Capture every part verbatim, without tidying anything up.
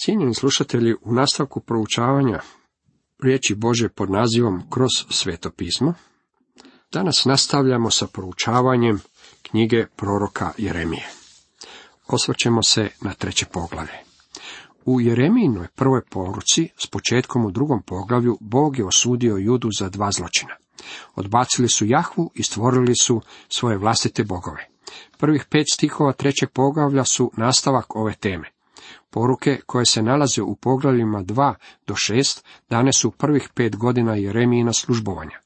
Cijenjeni slušatelji, u nastavku proučavanja riječi Božje pod nazivom Kroz Sveto pismo, danas nastavljamo sa proučavanjem knjige proroka Jeremije. Osvrćemo se na treće poglavlje. U Jeremijinoj prvoj poruci, s početkom u drugom poglavlju, Bog je osudio Judu za dva zločina. Odbacili su Jahvu i stvorili su svoje vlastite bogove. Prvih pet stihova trećeg poglavlja su nastavak ove teme. Poruke koje se nalaze u poglavljima dva do šest dane su prvih pet godina Jeremijina službovanja.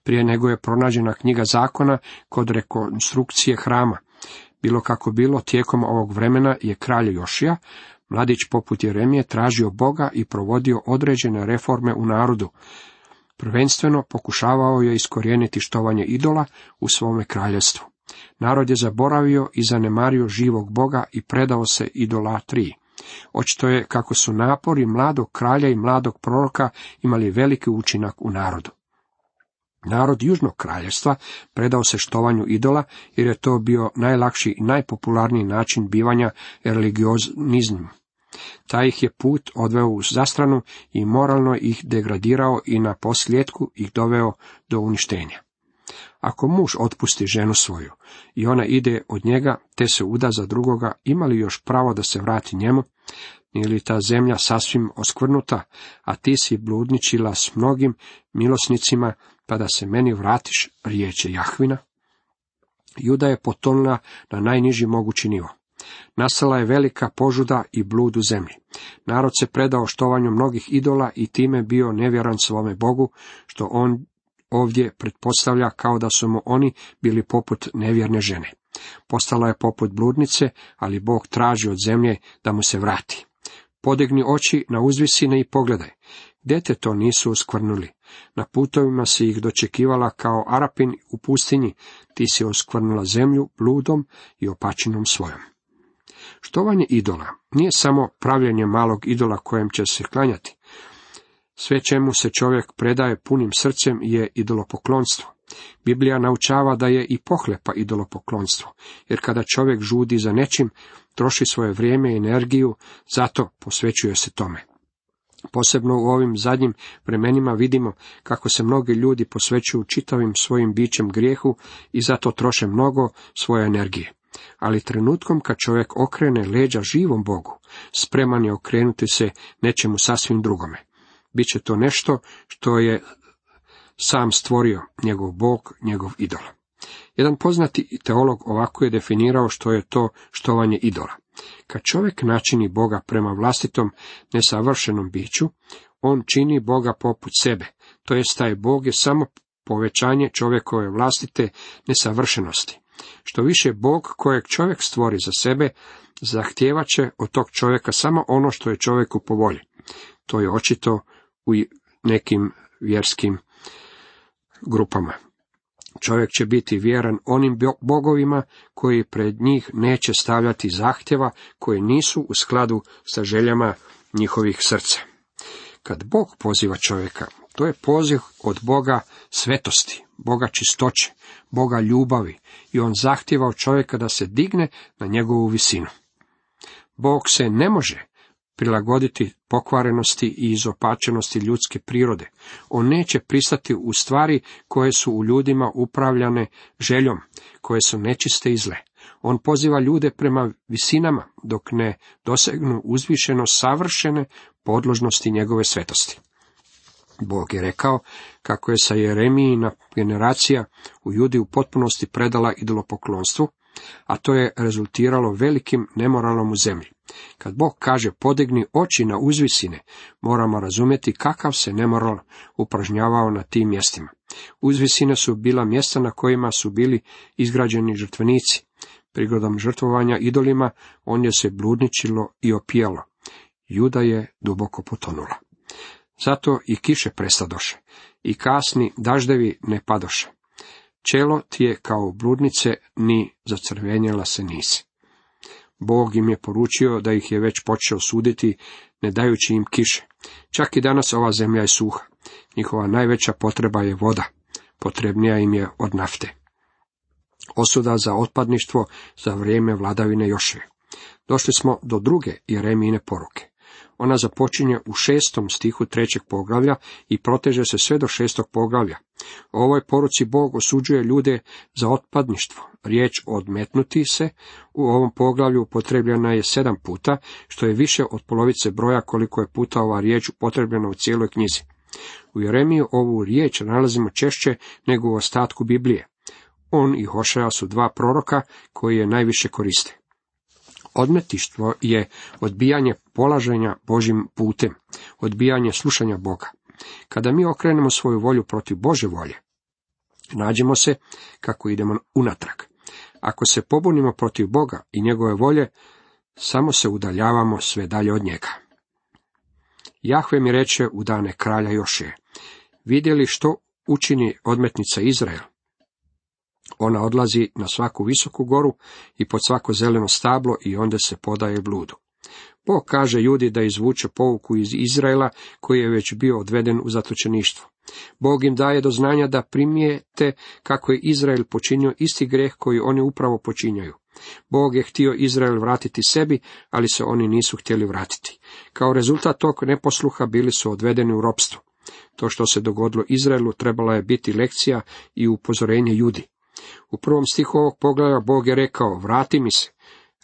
Prije nego je pronađena knjiga zakona kod rekonstrukcije hrama. Bilo kako bilo, tijekom ovog vremena je kralj Jošija, mladić poput Jeremije, tražio Boga i provodio određene reforme u narodu. Prvenstveno pokušavao je iskorijeniti štovanje idola u svome kraljevstvu. Narod je zaboravio i zanemario živog Boga i predao se idolatriji. Očito je kako su napori mladog kralja i mladog proroka imali veliki učinak u narodu. Narod južnog kraljevstva predao se štovanju idola, jer je to bio najlakši i najpopularniji način bivanja religioznizmom. Taj ih je put odveo u zastranu i moralno ih degradirao i na posljedku ih doveo do uništenja. Ako muž otpusti ženu svoju i ona ide od njega, te se uda za drugoga, ima li još pravo da se vrati njemu? Nije li ta zemlja sasvim oskvrnuta, a ti si bludničila s mnogim milosnicima, pa da se meni vratiš, riječ je Jahvina? Juda je potonula na najniži mogući nivo. Nastala je velika požuda i blud u zemlji. Narod se predao štovanju mnogih idola i time bio nevjeran svome Bogu, što on ovdje pretpostavlja kao da su mu oni bili poput nevjerne žene. Postala je poput bludnice, ali Bog traži od zemlje da mu se vrati. Podigni oči na uzvisine i pogledaj. Gdje te to nisu oskvrnuli? Na putovima si ih dočekivala kao Arapin u pustinji, ti si oskvrnula zemlju bludom i opačinom svojom. Štovanje idola nije samo pravljenje malog idola kojem će se klanjati. Sve čemu se čovjek predaje punim srcem je idolopoklonstvo. Biblija naučava da je i pohlepa idolopoklonstvo, jer kada čovjek žudi za nečim, troši svoje vrijeme i energiju, zato posvećuje se tome. Posebno u ovim zadnjim vremenima vidimo kako se mnogi ljudi posvećuju čitavim svojim bićem grijehu i zato troše mnogo svoje energije. Ali trenutkom kad čovjek okrene leđa živom Bogu, spreman je okrenuti se nečemu sasvim drugome. Biće to nešto što je sam stvorio, njegov Bog, njegov idol. Jedan poznati teolog ovako je definirao što je to štovanje idola. Kad čovjek načini Boga prema vlastitom nesavršenom biću, on čini Boga poput sebe, to jest taj Bog je samo povećanje čovjekove vlastite nesavršenosti. Što više Bog kojeg čovjek stvori za sebe, zahtijevat će od tog čovjeka samo ono što je čovjeku po volji. To je očito u nekim vjerskim grupama. Čovjek će biti vjeran onim bogovima koji pred njih neće stavljati zahtjeva koji nisu u skladu sa željama njihovih srca. Kad Bog poziva čovjeka, to je poziv od Boga svetosti, Boga čistoće, Boga ljubavi i on zahtjeva od čovjeka da se digne na njegovu visinu. Bog se ne može prilagoditi pokvarenosti i izopačenosti ljudske prirode. On neće pristati u stvari koje su u ljudima upravljane željom, koje su nečiste i zle. On poziva ljude prema visinama, dok ne dosegnu uzvišeno savršene podložnosti njegove svetosti. Bog je rekao kako je sa Jeremijina generacija u Judi u potpunosti predala idolopoklonstvu, a to je rezultiralo velikim nemoralom u zemlji. Kad Bog kaže podigni oči na uzvisine, moramo razumjeti kakav se nemoral upražnjavao na tim mjestima. Uzvisine su bila mjesta na kojima su bili izgrađeni žrtvenici. Prigodom žrtvovanja idolima ondje se bludničilo i opijalo. Juda je duboko potonula. Zato i kiše prestadoše, i kasni daždevi ne padoše. Čelo ti je kao bludnice, ni zacrvenjela se nisi. Bog im je poručio da ih je već počeo suditi, ne dajući im kiše. Čak i danas ova zemlja je suha. Njihova najveća potreba je voda. Potrebnija im je od nafte. Osuda za otpadništvo za vrijeme vladavine Jošije. Došli smo do druge Jeremijine poruke. Ona započinje u šestom stihu trećeg poglavlja i proteže se sve do šestog poglavlja. U ovoj poruci Bog osuđuje ljude za otpadništvo. Riječ odmetnuti se u ovom poglavlju upotrebljena je sedam puta, što je više od polovice broja koliko je puta ova riječ upotrebljena u cijeloj knjizi. U Jeremiji ovu riječ nalazimo češće nego u ostatku Biblije. On i Hošea su dva proroka koji je najviše koriste. Odmetništvo je odbijanje polaženja Božjim putem, odbijanje slušanja Boga. Kada mi okrenemo svoju volju protiv Božje volje, nađemo se kako idemo unatrag. Ako se pobunimo protiv Boga i njegove volje, samo se udaljavamo sve dalje od njega. Jahve mi reče u dane kralja Jošije: vidjeli što učini odmetnica Izrael? Ona odlazi na svaku visoku goru i pod svako zeleno stablo i onda se podaje bludu. Bog kaže Judi da izvuče pouku iz Izraela koji je već bio odveden u zatočeništvo. Bog im daje do znanja da primijete kako je Izrael počinio isti greh koji oni upravo počinjaju. Bog je htio Izrael vratiti sebi, ali se oni nisu htjeli vratiti. Kao rezultat tog neposluha bili su odvedeni u ropstvo. To što se dogodilo Izraelu trebala je biti lekcija i upozorenje Judi. U prvom stihu ovog poglavlja Bog je rekao: vrati mi se,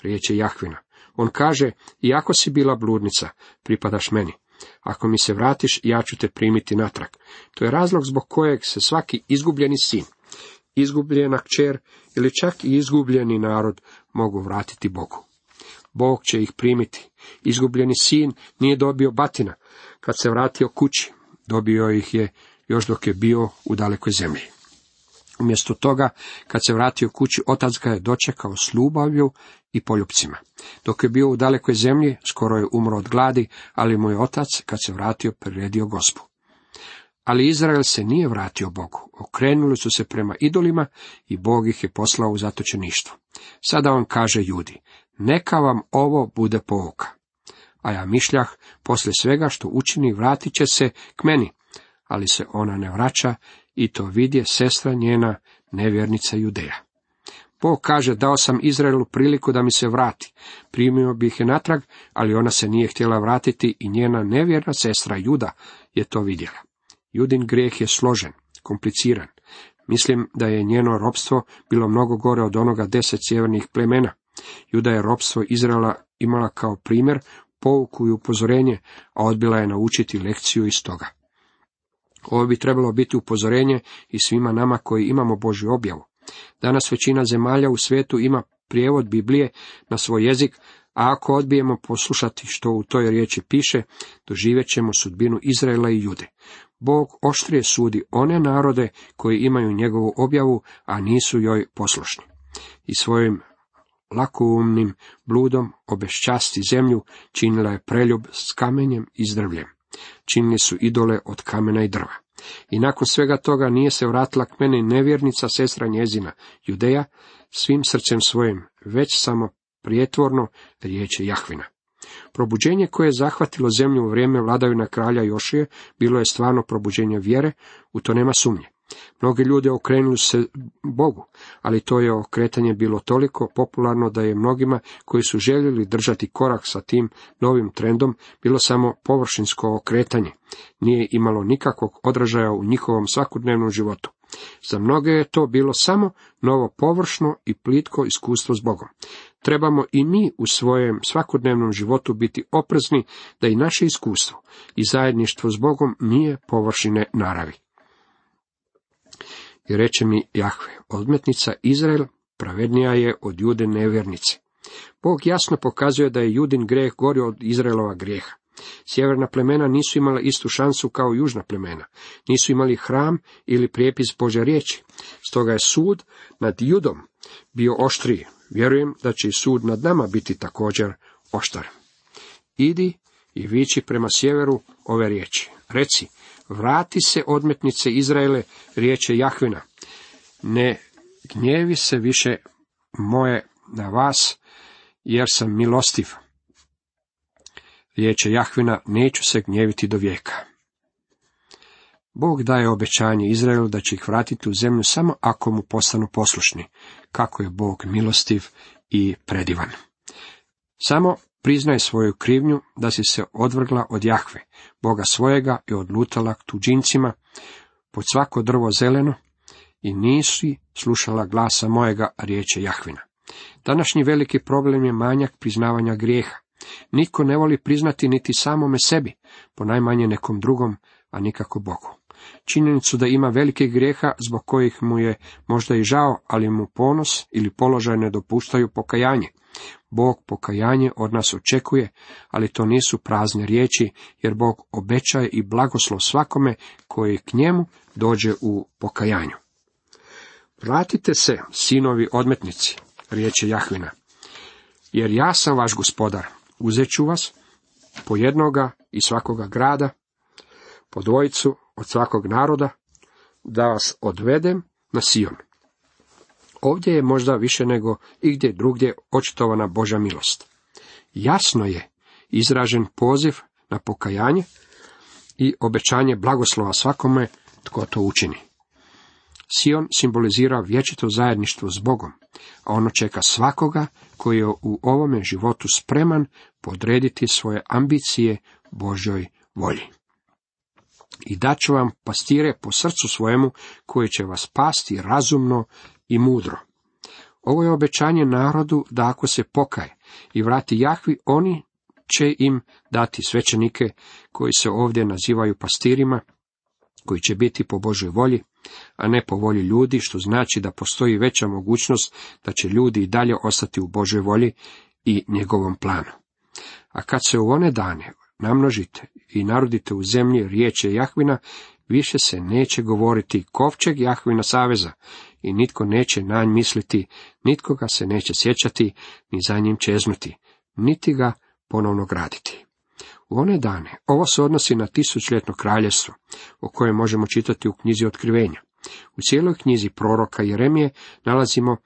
riječ je Jahvina. On kaže: iako si bila bludnica, pripadaš meni. Ako mi se vratiš, ja ću te primiti natrag. To je razlog zbog kojeg se svaki izgubljeni sin, izgubljena kćer ili čak i izgubljeni narod mogu vratiti Bogu. Bog će ih primiti. Izgubljeni sin nije dobio batina kad se vratio kući. Dobio ih je još dok je bio u dalekoj zemlji. Umjesto toga, kad se vratio kući, otac ga je dočekao s ljubavlju i poljupcima. Dok je bio u dalekoj zemlji, skoro je umro od gladi, ali mu je otac, kad se vratio, priredio gospu. Ali Izrael se nije vratio Bogu. Okrenuli su se prema idolima i Bog ih je poslao u zatočeništvo. Sada on kaže Judi: neka vam ovo bude pouka. A ja mišljah, poslije svega što učini, vratit će se k meni. Ali se ona ne vraća i to vidje sestra njena, nevjernica Judeja. Bog kaže: dao sam Izraelu priliku da mi se vrati. Primio bih je natrag, ali ona se nije htjela vratiti i njena nevjerna sestra Juda je to vidjela. Judin grijeh je složen, kompliciran. Mislim da je njeno ropstvo bilo mnogo gore od onoga deset sjevernih plemena. Juda je ropstvo Izraela imala kao primjer, pouku i upozorenje, a odbila je naučiti lekciju iz toga. Ovo bi trebalo biti upozorenje i svima nama koji imamo Božju objavu. Danas većina zemalja u svijetu ima prijevod Biblije na svoj jezik, a ako odbijemo poslušati što u toj riječi piše, doživjet ćemo sudbinu Izraela i Jude. Bog oštrije sudi one narode koji imaju njegovu objavu, a nisu joj poslušni. I svojim lakoumnim bludom obeščasti zemlju, činila je preljub s kamenjem i s drvljem. Činili su idole od kamena i drva. I nakon svega toga nije se vratila k meni nevjernica sestra njezina, Judeja, svim srcem svojim, već samo prijetvorno, riječ je Jahvina. Probuđenje koje je zahvatilo zemlju u vrijeme vladavine kralja Jošije bilo je stvarno probuđenje vjere, u to nema sumnje. Mnogi ljudi okrenuli se Bogu, ali to je okretanje bilo toliko popularno da je mnogima koji su željeli držati korak sa tim novim trendom bilo samo površinsko okretanje. Nije imalo nikakvog odražaja u njihovom svakodnevnom životu. Za mnoge je to bilo samo novo površno i plitko iskustvo s Bogom. Trebamo i mi u svojem svakodnevnom životu biti oprezni da i naše iskustvo i zajedništvo s Bogom nije površine naravi. I reče mi Jahve: odmetnica Izrael pravednija je od Jude nevjernice. Bog jasno pokazuje da je Judin grijeh gori od Izraelova grijeha. Sjeverna plemena nisu imala istu šansu kao južna plemena. Nisu imali hram ili prijepis Božje riječi. Stoga je sud nad Judom bio oštriji. Vjerujem da će i sud nad nama biti također oštar. Idi i viči prema sjeveru ove riječi. Reci: vrati se, odmetnice Izraele, riječ je Jahvina. Ne gnjevi se više moje na vas, jer sam milostiv. Riječ je Jahvina, neću se gnjeviti do vijeka. Bog daje obećanje Izraelu da će ih vratiti u zemlju samo ako mu postanu poslušni. Kako je Bog milostiv i predivan. Samo Priznaj svoju krivnju da si se odvrgla od Jahve, Boga svojega, i odlutala k tuđincima pod svako drvo zeleno, i nisi slušala glasa mojega, riječe Jahvina. Današnji veliki problem je manjak priznavanja grijeha. Nitko ne voli priznati niti samome sebi, ponajmanje nekom drugom, a nikako Bogu. Činjenicu da ima velike grijeha zbog kojih mu je možda i žao, ali mu ponos ili položaj ne dopuštaju pokajanje. Bog pokajanje od nas očekuje, ali to nisu prazne riječi, jer Bog obećaje i blagoslov svakome koji k njemu dođe u pokajanju. Vratite se, sinovi odmetnici, riječe Jahvina, jer ja sam vaš gospodar, uzet ću vas po jednoga iz svakoga grada, po dvojicu od svakog naroda, da vas odvedem na Sion. Ovdje je možda više nego igdje drugdje očitovana Božja milost. Jasno je izražen poziv na pokajanje i obećanje blagoslova svakome tko to učini. Sion simbolizira vječito zajedništvo s Bogom, a ono čeka svakoga koji je u ovome životu spreman podrediti svoje ambicije Božjoj volji. I daću vam pastire po srcu svojemu, koji će vas pasti razumno i mudro. Ovo je obećanje narodu da ako se pokaje i vrati Jahvi, oni će im dati svećenike koji se ovdje nazivaju pastirima, koji će biti po Božoj volji, a ne po volji ljudi, što znači da postoji veća mogućnost da će ljudi i dalje ostati u Božoj volji i njegovom planu. A kad se u one dane namnožite i narodite u zemlji riječe Jahvina, više se neće govoriti kovčeg Jahvina saveza i nitko neće na nj misliti, nitko ga se neće sjećati, ni za njim čeznuti, niti ga ponovno graditi. U one dane, ovo se odnosi na tisućljetno kraljevstvo, o kojem možemo čitati u knjizi Otkrivenja. U cijeloj knjizi proroka Jeremije nalazimo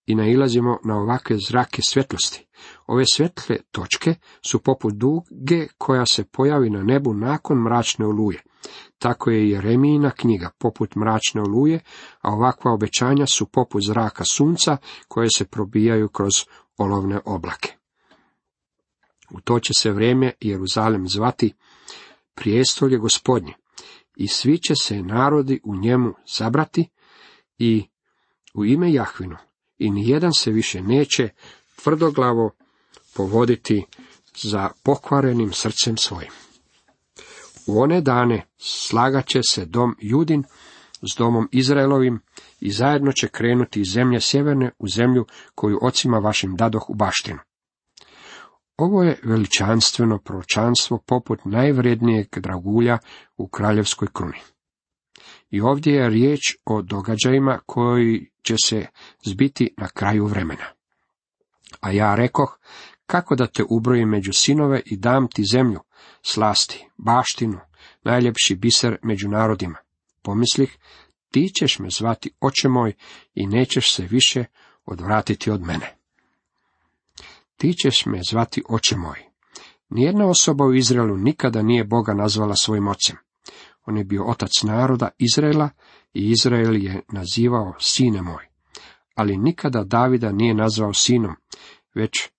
i nailazimo na ovakve zrake svjetlosti. Ove svjetle točke su poput duge koja se pojavi na nebu nakon mračne oluje. Tako je Jeremijina knjiga poput mračne oluje, a ovakva obećanja su poput zraka sunca koje se probijaju kroz olovne oblake. U to će se vrijeme Jeruzalem zvati prijestolje Gospodnje, i svi će se narodi u njemu sabrati i u ime Jahvino, i nijedan se više neće tvrdoglavo povoditi za pokvarenim srcem svojim. U one dane slagat će se dom Judin s domom Izraelovim i zajedno će krenuti iz zemlje sjeverne u zemlju koju ocima vašim dadoh u baštinu. Ovo je veličanstveno proročanstvo poput najvrednijeg dragulja u kraljevskoj kruni. I ovdje je riječ o događajima koji će se zbiti na kraju vremena. A ja rekoh, kako da te ubrojim među sinove i dam ti zemlju, slasti, baštinu, najljepši biser među narodima. Pomislih, ti ćeš me zvati oče moj i nećeš se više odvratiti od mene. Ti ćeš me zvati oče moj. Nijedna osoba u Izraelu nikada nije Boga nazvala svojim ocem. On je bio otac naroda Izraela i Izrael je nazivao sine moj. Ali nikada Davida nije nazvao sinom, već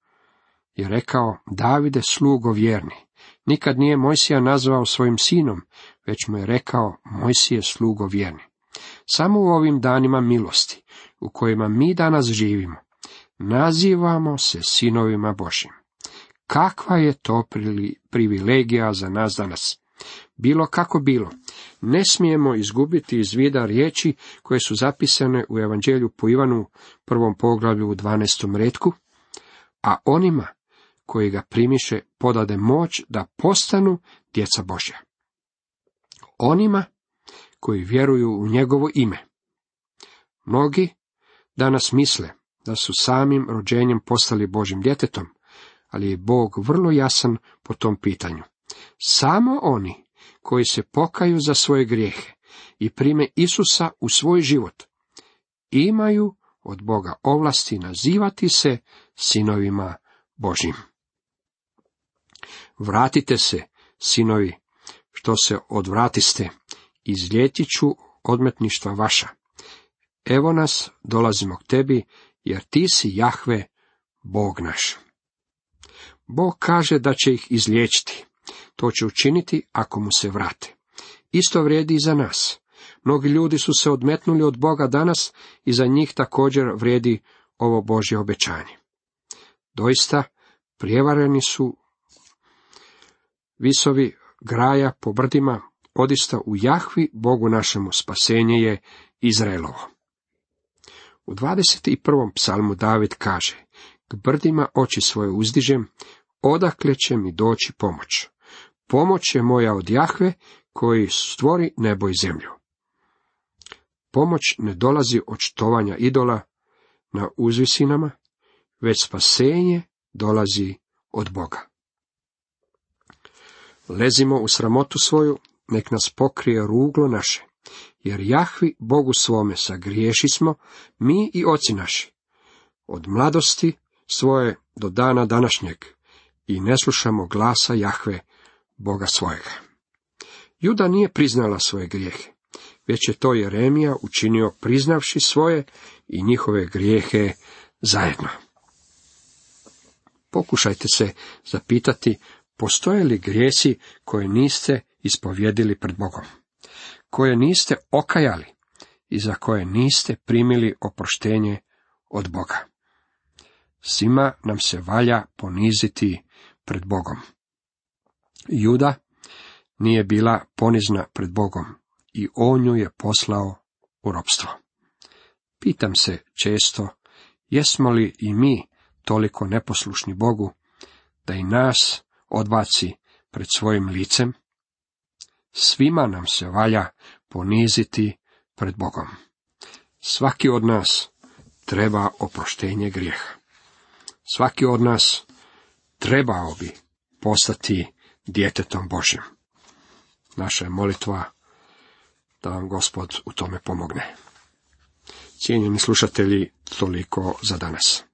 je rekao Davide slugo vjerni. Nikad nije Mojsija nazvao svojim sinom, već mu je rekao Mojsije slugo vjerni. Samo u ovim danima milosti, u kojima mi danas živimo, nazivamo se sinovima Božjim. Kakva je to privilegija za nas danas? Bilo kako bilo, ne smijemo izgubiti iz vida riječi koje su zapisane u Evanđelju po Ivanu, prvom poglavlju u dvanaestom retku, a onima koji ga primiše podade moć da postanu djeca Božja. Onima koji vjeruju u njegovo ime. Mnogi danas misle da su samim rođenjem postali Božjim djetetom, ali je Bog vrlo jasan po tom pitanju. Samo oni koji se pokaju za svoje grijehe i prime Isusa u svoj život, imaju od Boga ovlasti nazivati se sinovima Božjim. Vratite se, sinovi, što se odvratiste, izljetit ću odmetništva vaša. Evo nas, dolazimo k tebi, jer ti si Jahve, Bog naš. Bog kaže da će ih izliječiti. To će učiniti ako mu se vrate. Isto vrijedi i za nas. Mnogi ljudi su se odmetnuli od Boga danas i za njih također vrijedi ovo Božje obećanje. Doista, prijevareni su visovi graja po brdima, odista u Jahvi, Bogu našemu, spasenje je Izraelovo. U dvadeset prvom psalmu David kaže: K brdima oči svoje uzdižem, odakle će mi doći pomoć. Pomoć je moja od Jahve, koji stvori nebo i zemlju. Pomoć ne dolazi od štovanja idola na uzvisinama, već spasenje dolazi od Boga. Lezimo u sramotu svoju, nek nas pokrije ruglo naše, jer Jahvi, Bogu svome, sagriješi smo, mi i oci naši, od mladosti svoje do dana današnjeg, i ne slušamo glasa Jahve, Boga svojega. Juda nije priznala svoje grijehe, već je to Jeremija učinio priznavši svoje i njihove grijehe zajedno. Pokušajte se zapitati, postoje li grijesi koje niste ispovjedili pred Bogom, koje niste okajali i za koje niste primili oproštenje od Boga. Svima nam se valja poniziti pred Bogom. Juda nije bila ponizna pred Bogom i on ju je poslao u ropstvo. Pitam se često, jesmo li i mi toliko neposlušni Bogu, da i nas odbaci pred svojim licem? Svima nam se valja poniziti pred Bogom. Svaki od nas treba oproštenje grijeha. Svaki od nas trebao bi postati djetetom Božjim. Naša je molitva da vam Gospod u tome pomogne. Cijenjeni slušatelji, toliko za danas.